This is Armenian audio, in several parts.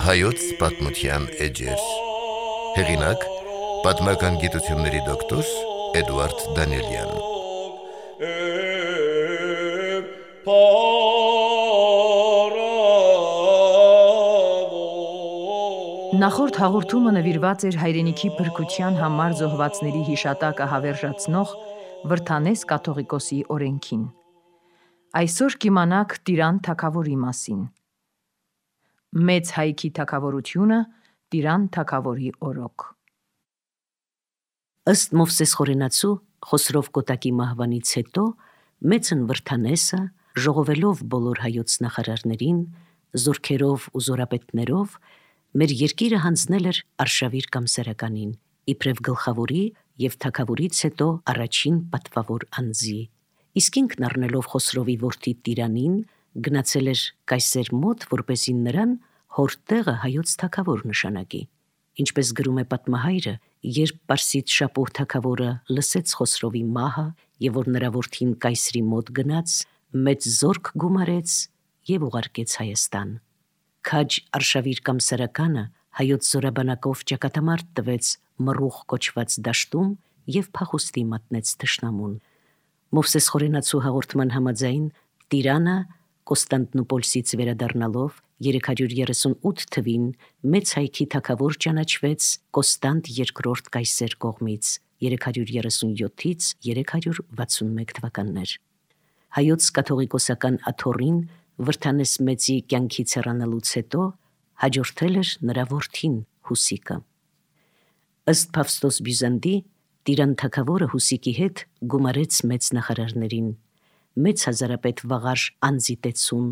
Հայոց պատմության էջեր։ Հեղինակ՝ պատմական գիտությունների դոկտոր Էդուարդ Դանիելյան։ Նախորդ հաղորդումը նվիրված էր հայրենիքի փրկության համար զոհվածների հիշատակը հավերժացնող Վրդանես կաթողիկոսի օրենքին։ Այսօր կիմանաք Տիրան թագավորի մասին։ Մեծ հայքի թագավորությունը Տիրան թագավորի օրոք։ Ըստ Մովսես խորենացու Խոսրով Կոտակի մահվանից հետո մեծն Վրդանեսը, ժողովելով բոլոր հայոց նախարարներին, զորքերով ու զորապետներով, մեր երկիրը հանձնել էր Արշավիր կամ Սարականին, իբրև գլխավորի և թագավորից հետո առաջին պատվավոր անձի։ Իսկ ինքն առնելով Խոսրովի որդի Տիրանին, գնացել էր Կայսեր մոտ, որպեսզի նրան հոր տեղը հայոց թագավոր նշանակի։ Ինչպես գրում է պատմահայրը, երբ Պարսից Շապոհ թագավորը լսեց Խոսրովի մահը և որ նրա որդին Կայսրի մոտ գնաց, մեծ զորք գումարեց և ուղարկեց Հայաստան։ Քաջ Արշավիր կամ Սարականը հայոց զորաբանակով ճակատամարտ տվեց Մռուխ կոչված դաշտում և փախուստի մատնեց թշնամուն։ Մովսես խորենացու հաղորդման համաձայն Տիրանը Կոստանդնուպոլսից վերադառնալով 338 թվին մեծ հայքի թագավոր ճանաչվեց Կոստանդ II Կայսեր կողմից 337-ից 361 թվականներ։ Հայոց կաթողիկոսական աթոռին Վրդանես մեծի կյանքից հեռանալուց հետո հաջորդել էր նրա որդին Հուսիկը։ Ըստ Փավստոս Բյուզանդի, Տիրան թագավորը Հուսիկի հետ գումարեց մեծ նախարարներին, մեծ հազարապետ Վաղար Անձիտեցուն,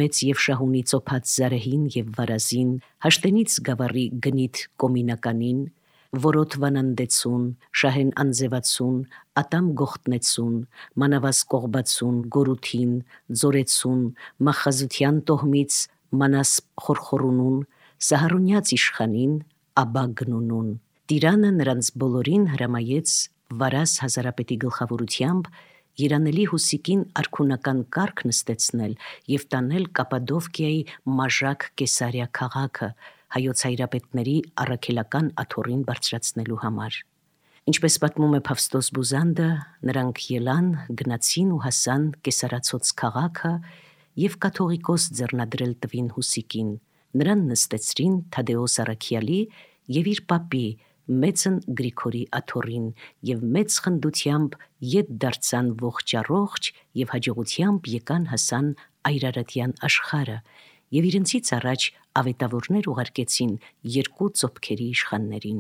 մեծ և շահունի ծոփած Զարեհին և Վարազին, Հաշտենից Գավառի Գնիթ Կոմինականին, Որոտ Վանանդեցուն, Շահեն Անձևացուն, Ատամ Գողտնեցուն, Մանավազ Կողբացուն, Գորութին, Ձորեցուն, Մախազության տոհմից Մանաս Խորխորունուն, Սահարունյաց իշխանին, Աբա Գնունուն։ Տիրանը նրանց բոլորին հրամայեց Վարազ հազարապետի գլխավորությամբ երանելի Հուսիկին արքունական կարգ նստեցնել և տանել Կապադովկիայի Մաժակ Կեսարիա քաղաքը հայոց հայրապետների առաքելական աթոռին բարձրացնելու համար։ Ինչպես պատմում է Փավստոս Բյուզանդը, նրանք ելան, գնացին ու հասան Կեսարացոց քաղաքը և կաթողիկոս ձեռնադրել տվին Հուսիկին։ Նրան նստեցրին Թադեոս առաքյալի և իր պապի մեծն Գրիգորի աթոռին և մեծ խնդությամբ ետ դարձան ողջ առողջ և հաջողությամբ եկան հասան Այրարատյան աշխարհը և իրենցից առաջ ավետավորներ ուղարկեցին երկու ծոփքերի իշխաններին։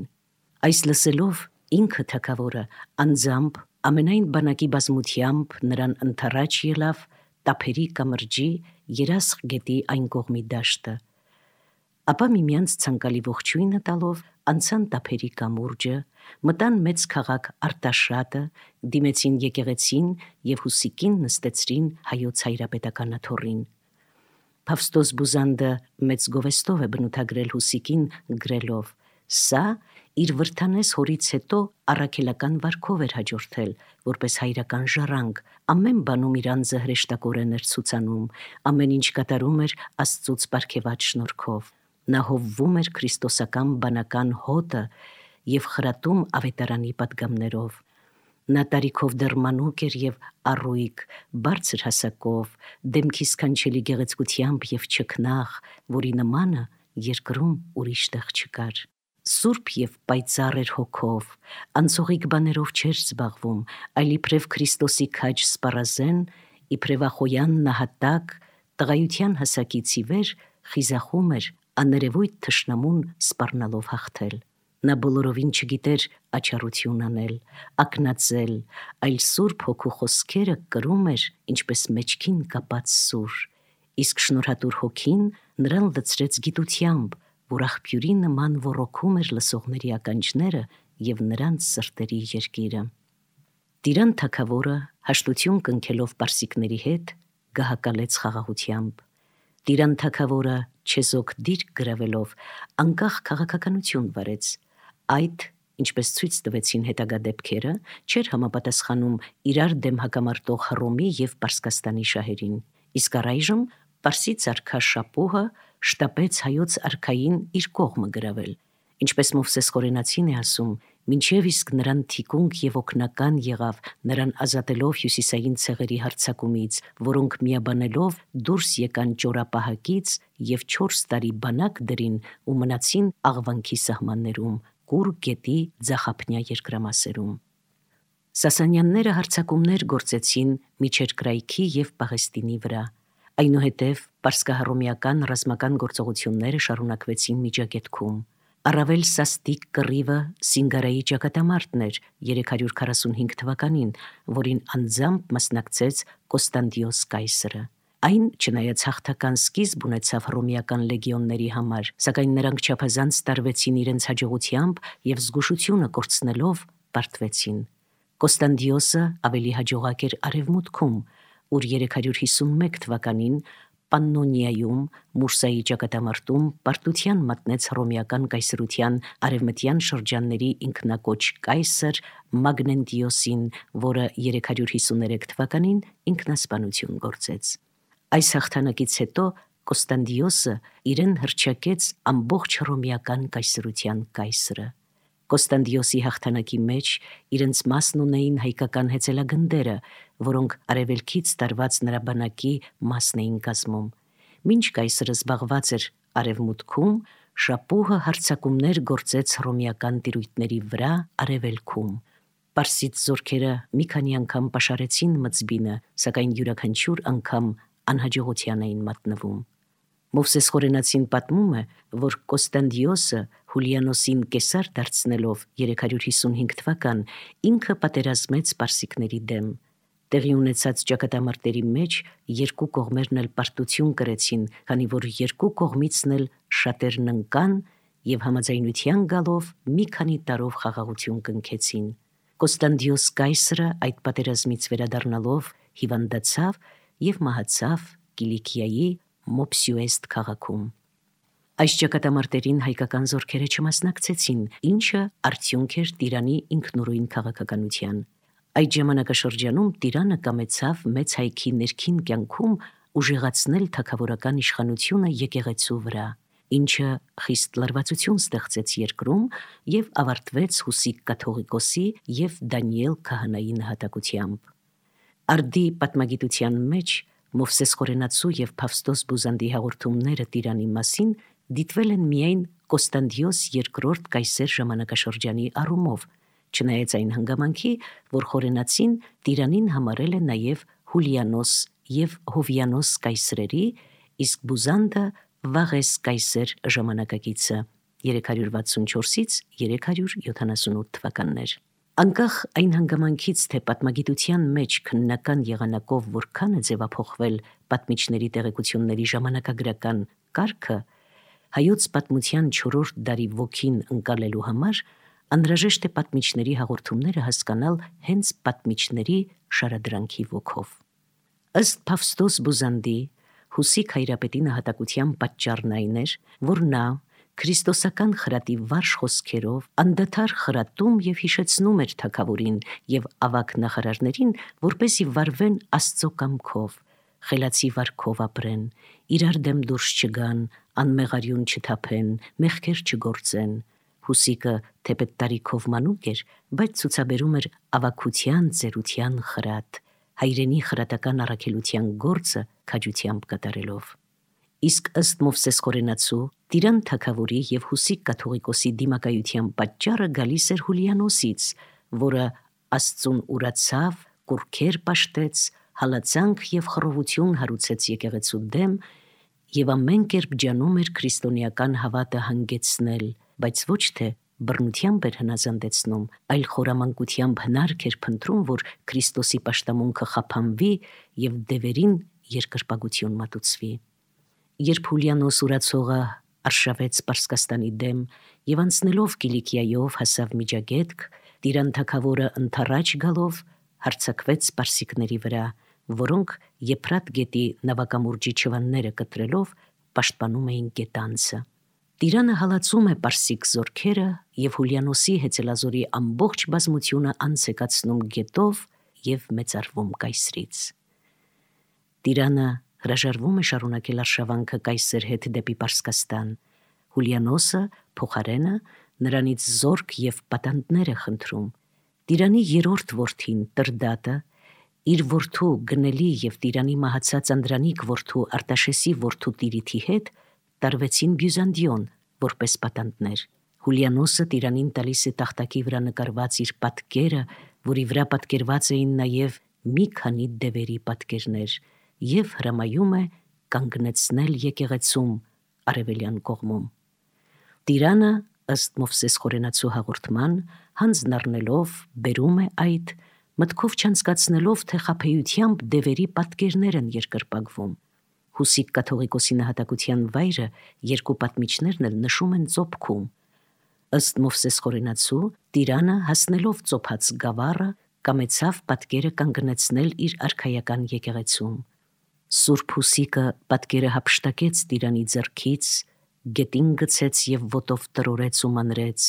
Այս լսելով ինքը թագավորը անձամբ ամենայն բանակի բազմությամբ նրան ընդառաջ ելավ Տափերի կամրջի Երասխ գետի այն կողմի դաշտը։ Ապա միմյանց ցանկալի ողջույնը տալով անցան Տափերի կամուրջը, մտան մեծ քաղաք Արտաշատը, դիմեցին եկեղեցին և Հուսիկին նստեցրին հայոց հայրապետական աթոռին։ Փավստոս Բյուզանդը մեծ գովեստով է բնութագրել Հուսիկին գրելով. «Սա իր Վրդանես հորից հետո առաքելական վարքով էր հաջորդել, որպես հայրական ժառանգ, ամեն բանում իր անձը հրեշտակորեն էր ցուցանում, ամեն ինչ կատարում էր Աստծուց պարգևած շնորհքով։ Նա հովվում էր քրիստոսական բանական հոտը և խրատում ավետարանի պատգամներով։ Նա տարիքով դեռ մանուկ էր և առույգ, բարձր հասակով, դեմքի սքանչելի գեղեցկությամբ և չքնաղ, որի նմանը երկրում ուրիշ տեղ չկար։ Սուրբ և պայծառ էր հոգով, անցողիկ բաներով չէր զբաղվում, այլ իբրև Քրիստոսի քաջ սպառազեն, իբրև Ախոյան նահատակ, տղայության հասակից ի վեր խիզախում էր աներևույթ թշնամուն սպառնալով հաղթել։ Նա բոլորովին չգիտեր աչառություն անել, ակնածել, այլ Սուրբ Հոգու խոսքերը կրում էր ինչպես մեջքին կապած սուր, իսկ շնորհատուր Հոգին նրան լցրեց գիտությամբ, որ աղբյուրի նման ոռոգում էր լսողների ականջները և նրանց սրտերի երկիրը։ Տիրան թագավորը հաշտություն կնքելով պարսիկների հետ գահակալեց խաղաղությամբ։ Տիրան թագավորը չեզոք դիրք գրավելով անկախ քաղաքականություն վարեց, այդ ինչպես ցույց տվեցին հետագա դեպքերը, չէր համապատասխանում իրար դեմ հակամարտող Հռոմի եւ Պարսկաստանի շահերին։ Իսկ առայժմ Պարսից արքա Շապուհը շտապեց հայոց արքային իր կողմը գրավել։ Ինչպես Մովսես Խորենացին է ասում, մինչև իսկ նրան թիկունք եւ օգնական եղավ, նրան ազատելով հյուսիսային ցեղերի հարձակումից, որոնք միաբանելով դուրս եկան ճորապահակից եւ 4 տարի բանակ դրին ու մնացին Աղվանքի սահմաններում, Կուր գետի ձախապնյա երկրամասերում։ Սասանյանները հարձակումներ գործեցին Միջերկրայքի եւ Պաղեստինի վրա։ Այնուհետև պարսկահռոմեական ռազմական գործողությունները շարունակվեցին Միջագետքում։ Առավել սաստիկ կռիվը Սինգարայի ճակատամարտն էր 345 թվականին, որին անձամբ մասնակցեց Կոստանդիոս կայսրը։ Այն, չնայած հաղթական սկիզբ ունեցավ հռոմեական լեգիոնների համար, սակայն նրանք չափազանց տարվեցին իրենց հաջողությամբ եւ զգուշությունը կորցնելով պարտվեցին։ Կոստանդիոսը ավելի հաջողակ էր արևմուտքում, ուր 351 թվականին Պաննոնիայում Մուրսայի ճակատամարտում պարտության մատնեց հռոմեական կայսրության արևմտյան շրջանների ինքնակոչ կայսր Մագնենտիոսին, որը 353 թվականին ինքնասպանություն գործեց։ Այս հաղթանակից հետո Կոստանդիոսը իրեն հռչակեց ամբողջ հռոմեական կայսրության կայսրը։ Կոստանդիոսի հաղթանակի մեջ իրենց մասն ունեին հայկական հեծելագնդերը, որոնք արևելքից տարված նրա բանակի մասն էին կազմում։ Մինչ կայսրը զբաղված էր արևմուտքում, Շապուհը հարձակումներ գործեց հռոմեական տիրույթների վրա արևելքում։ Պարսից զորքերը մի քանի անգամ պաշարեցին Մծբինը, սակայն յուրաքանչյուր անգամ անհաջողության էին մատնվում։ Մովսես Խորենացին պատմում է, որ Կոստանդիոսը Հուլիանոսին կեսար դարձնելով 355 թվական ինքը պատերազմեց պարսիկների դեմ։ Տեղի ունեցած ճակատամարտերի մեջ երկու կողմերն էլ պարտություն կրեցին, քանի որ երկու կողմիցն էլ շատերն ընկան եւ համաձայնության գալով մի քանի տարով խաղաղություն կնքեցին։ Կոստանդիոս կայսրը այդ պատերազմից վերադառնալով հիվանդացավ եւ մահացավ Կիլիկիայի Մոփսյուեստ քաղաքում։ Այս ճակատամարտերին հայկական զորքերը չմասնակցեցին, ինչը արդյունք էր Տիրանի ինքնուրույն քաղաքականության։ Այդ ժամանակաշրջանում Տիրանը կամեցավ մեծ հայքի ներքին կյանքում ուժեղացնել թագավորական իշխանությունը եկեղեցու վրա, ինչը խիստ լարվածություն ստեղծեց երկրում եւ ավարտվեց Հուսիկ կաթողիկոսի եւ Դանիել քահանայի նահատակությամբ։ Արդի պատմագիտության մեջ Մովսես Խորենացու եւ Փավստոս Բուզանդի հաղորդումները Տիրանի մասին դիտվել են միայն Կոստանդիոս II կայսեր ժամանակաշրջանի առումով, չնայած այն հանգամանքի, որ Խորենացին Տիրանին համարել է նաև Հուլիանոս եւ Հովյանոս կայսրերի, իսկ Բուզանդը Վաղես կայսեր ժամանակակիցը 364-ից 378 թվականներ։ Անկախ այն հանգամանքից, թե պատմագիտության մեջ քննական եղանակով որքան է ձևափոխվել պատմիչների տեղեկությունների ժամանակագրական կարգը, հայոց պատմության 4-րդ դարի ոգին ընկալելու համար անհրաժեշտ է պատմիչների հաղորդումները հասկանալ հենց պատմիչների շարադրանքի ոգով։ Ըստ Փավստոս Բուզանդի, Հուսիկ հայրապետի նահատակության պատճառն այն էր, որ նա քրիստոսական խրատի վարժ խոսքերով անդադար խրատում եւ հիշեցնում էր թագավորին եւ ավակ նախարարներին, որպեսզի վարվեն Աստծո կամքով, խելացի վարքով ապրեն, իրար դեմ դուրս չգան, անմեղարյուն չթափեն, մեղքեր չգործեն։ Հուսիկը թեպետ տարիքով մանուկ էր, բայց ցուցաբերում էր ավակության, ծերության խրատ, հայրենի խրատական առաքելության գործը քաջությամբ կատարելով։ Իսկ ըստ Մովսես Խորենացու, Տիրան թագավորի եւ Հուսիկ կաթողիկոսի դիմակայության պատճառը գալիս էր Հուլիանոսից, որը Աստծուն ուրացավ, կուրքեր պաշտեց, հալածանք եւ խռովություն հարուցեց եկեղեցու դեմ եւ ամեն կերպ ջանում էր քրիստոնեական հավատը հանգեցնել, բայց ոչ թե բռնությամբ էր հնազանդեցնում, այլ խորամանկությամբ հնարք էր փնտրում, որ Քրիստոսի պաշտամունքը խափանվի եւ դևերին երկրպագություն մատուցվի։ Երբ Հուլիանոս ուրացողը արշավեց Պարսկաստանի դեմ եւ անցնելով Կիլիկիայով հասավ Միջագետք, Տիրան թագավորը ընթառաջ գալով հարձակվեց պարսիկների վրա, որոնք Եփրատ գետի նավակամուրջի չվանները կտրելով պաշտպանում էին գետանցը։ Տիրանը հալածում է պարսիկ զորքերը և Հուլիանոսի հեծելազորի ամբողջ բազմությունը անցեկացնում գետով և մեծարվում կայսրից։ Տիրանը հրաժարվում է շարունակել արշավանքը կայսր հետ դեպի Պարսկաստան։ Հուլիանոսը փոխարենը նրանից զորք և պատանդներ է խնդրում։ Տիրանի երրորդ որդին Տրդատը իր որդու Գնելի և Տիրանի մահացած Անդրանիկ որդու Արտաշեսի որդու Տիրիթի հետ տարվեցին Բյուզանդիոն որպես պատանդներ։ Հուլիանոսը Տիրանին տալիս է տախտակի վրա նկարված իր պատկերը, որի վրա պատկերված էին նաև մի քանի դևերի պատկերներ, և հրամայում է կանգնեցնել եկեղեցում արևելյան կողմում։ Տիրանը, ըստ Մովսես Խորենացու հաղորդման, հանձն առնելով բերում է այդ, մտքով չանցկացնելով, թե խաբեությամբ դևերի պատկերներ են երկրպագվում։ Հուսիկ կաթողիկոսի նահատակության վայրը երկու պատմիչներն էլ նշում են ծոփքում։ Ըստ Մովսես Խորենացու, Տիրանը, հասնելով ծոփած գավառը, կամեցավ պատկերը կանգնեցնել իր արքայական եկեղեցում։ Սուրբ Հուսիկը պատկերը հափշտակեց Տիրանի ձեռքից, գետին գցեց և ոտով տրորեց ու մանրեց,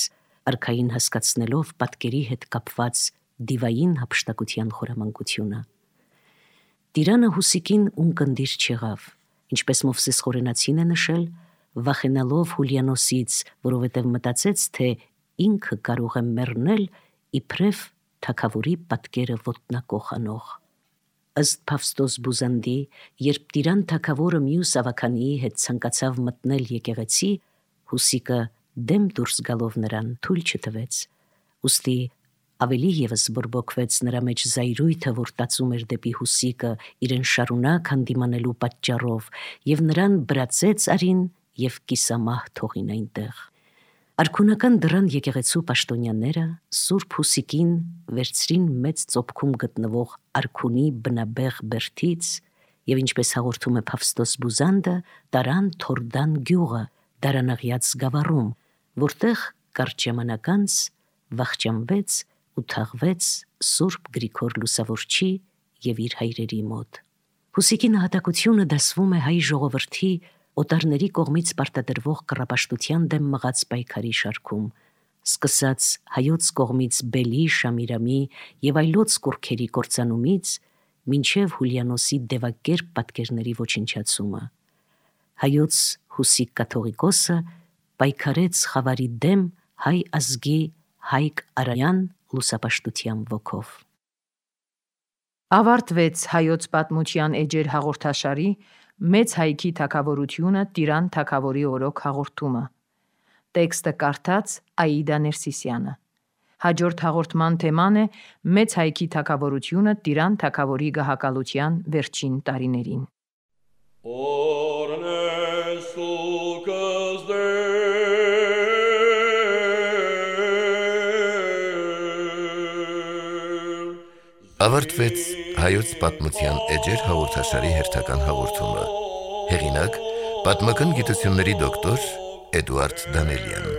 արքային հասկացնելով պատկերի հետ կապված դիվային հափշտակության խորամանկությունը։ Տիրանը Հուսիկին ունկնդիր չեղավ, ինչպես Մովսես Խորենացին է նշել, վախենալով Հուլիանոսից, որովհետև մտածեց, թե ինքը կարող է մեռնել իբրև թագավորի պատկերը ոտնակող անող։ Ըստ Փավստոս Բուզանդի, երբ Տիրան թագավորը մյուս ավականիի հետ ցանկացավ մտնել եկեղեցի, Հուսիկը դեմ դուրս գալով նրան թույլ չտվեց, ուստի ավելի ևս բորբոքվեց նրա մեջ զայրույթը, որ տածում էր դեպի Հուսիկը իրեն շարունակ հանդիմանելու պատճառով, և նրան բրացեց արին և կիսամահ թողին այնտեղ։ Արքունական դռան եկեղեցու պաշտոնյաները Սուրբ Հուսիկին վերցրին մեծ ծոփքում գտնվող արքունի բնաբեղ բերդից և, ինչպես հաղորդում է Փավստոս Բուզանդը, տարան Թորդան գյուղը Դարանաղյաց գավառում, որտեղ կարճ ժամանակ անց վախճանվեց ու թաղվեց Սուրբ Գրիգոր Լուսավորչի և իր հայրերի մոտ։ Հուսիկի նահատակությունը դասվում է հայ ժողովրդի օտարների կողմից պարտադրվող կռապաշտության դեմ մղած պայքարի շարքում, սկսած հայոց կողմից Բելի, Շամիրամի և այլոց կուռքերի կործանումից մինչև Հուլիանոսի դևակերպ պատկերների ոչնչացումը։ Հայոց Հուսիկ կաթողիկոսը պայքարեց խավարի դեմ հայ ազգի Հայկ Արայան լուսապաշտության ոգով։ Ավարտվեց Հայոց պատմության էջեր հաղորդաշարի Մեծ հայքի թագավորությունը Տիրան թագավորի օրոք հաղորդումը։ Տեքստը կարդաց Աիդա Ներսիսյանը։ Հաջորդ հաղորդման թեման է Մեծ հայքի թագավորությունը Տիրան թագավորի գահակալության վերջին տարիներին։ Ավարտվեց Հայոց պատմության էջեր հաղորդաշարի հերթական հաղորդումը։ Հեղինակ՝ պատմական գիտությունների դոկտոր Էդուարդ Դանելյան։